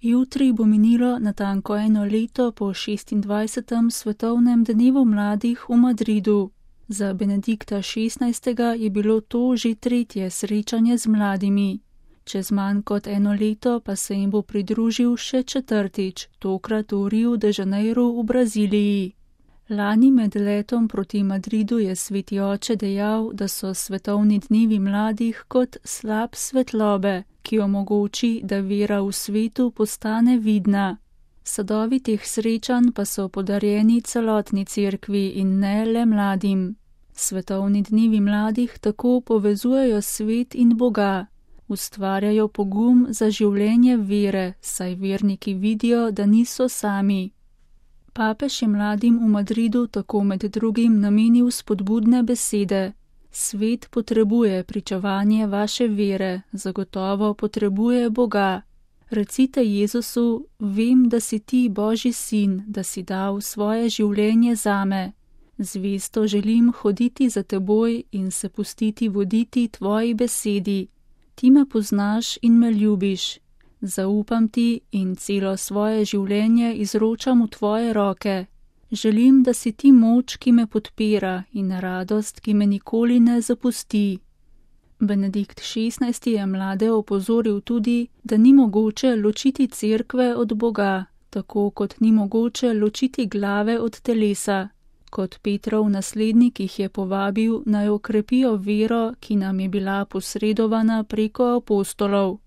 Jutri bo minilo natanko 1 leto po 26. svetovnem dnevu mladih v Madridu. Za Benedikta XVI. Je bilo to že 3. srečanje z mladimi. Čez manj kot 1 leto pa se jim bo pridružil še 4., tokrat v Rio de Janeiro v Braziliji. Lani med letom proti Madridu je sveti oče dejal, da so svetovni dnevi mladih kot slap svetlobe, ki omogoči, da vera v svetu postane vidna. Sadovi teh srečanj pa so podarjeni celotni cerkvi in ne le mladim. Svetovni dnevi mladih tako povezujejo svet in Boga, ustvarjajo pogum za življenje vere, saj verniki vidijo, da niso sami. Papež je mladim v Madridu tako med drugim namenil spodbudne besede. Svet potrebuje pričevanje vaše vere, zagotovo potrebuje Boga. Recite Jezusu, vem, da si ti Božji sin, da si dal svoje življenje zame. Zvesto želim hoditi za teboj in se pustiti voditi tvoji besedi. Ti me poznaš in me ljubiš. Zaupam ti in celo svoje življenje izročam v tvoje roke. Želim, da si ti moč, ki me podpira in radost, ki me nikoli ne zapusti. Benedikt XVI. Je mlade opozoril tudi, da ni mogoče ločiti cerkve od Boga, tako kot ni mogoče ločiti glave od telesa. Kot Petrov naslednik jih je povabil, naj okrepijo vero, ki nam je bila posredovana preko apostolov.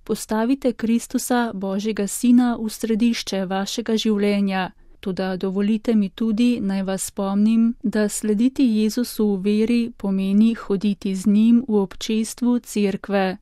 Postavite Kristusa, Božjega Sina, v središče vašega življenja, toda dovolite mi tudi, naj vas spomnim, da slediti Jezusu v veri pomeni hoditi z njim v občestvu cerkve.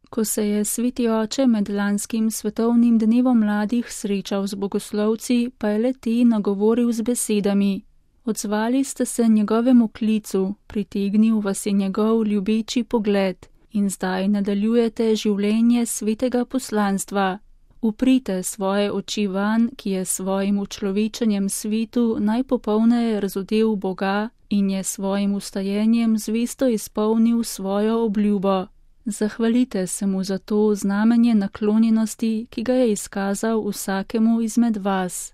Ko se je sveti oče med lanskim svetovnim dnevom mladih srečal z bogoslovci, pa je le te nagovoril z besedami. Odzvali ste se njegovemu klicu, pritegnil vas je njegov ljubeči pogled in zdaj nadaljujete življenje svetega poslanstva. Uprite svoje oči van, ki je svojim učlovečenjem svetu najpopolneje razodel Boga in je svojim ustajenjem zvesto izpolnil svojo obljubo. Zahvalite se mu za to znamenje naklonjenosti, ki ga je izkazal vsakemu izmed vas.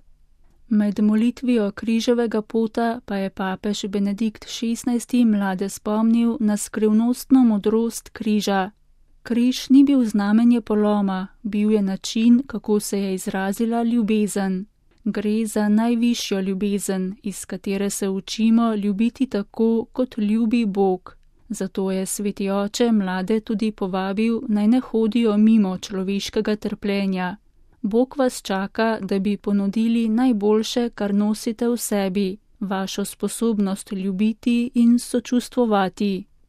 Med molitvijo križevega pota pa je papež Benedikt XVI. Mlade spomnil na skrivnostno modrost križa. Križ ni bil znamenje poloma, bil je način, kako se je izrazila ljubezen. Gre za najvišjo ljubezen, iz katere se učimo ljubiti tako, kot ljubi Bog. Zato je sveti oče mlade tudi povabil, naj ne hodijo mimo človeškega trpljenja. Bog vas čaka, da bi ponudili najboljše, kar nosite v sebi, vašo sposobnost ljubiti in sočustvovati.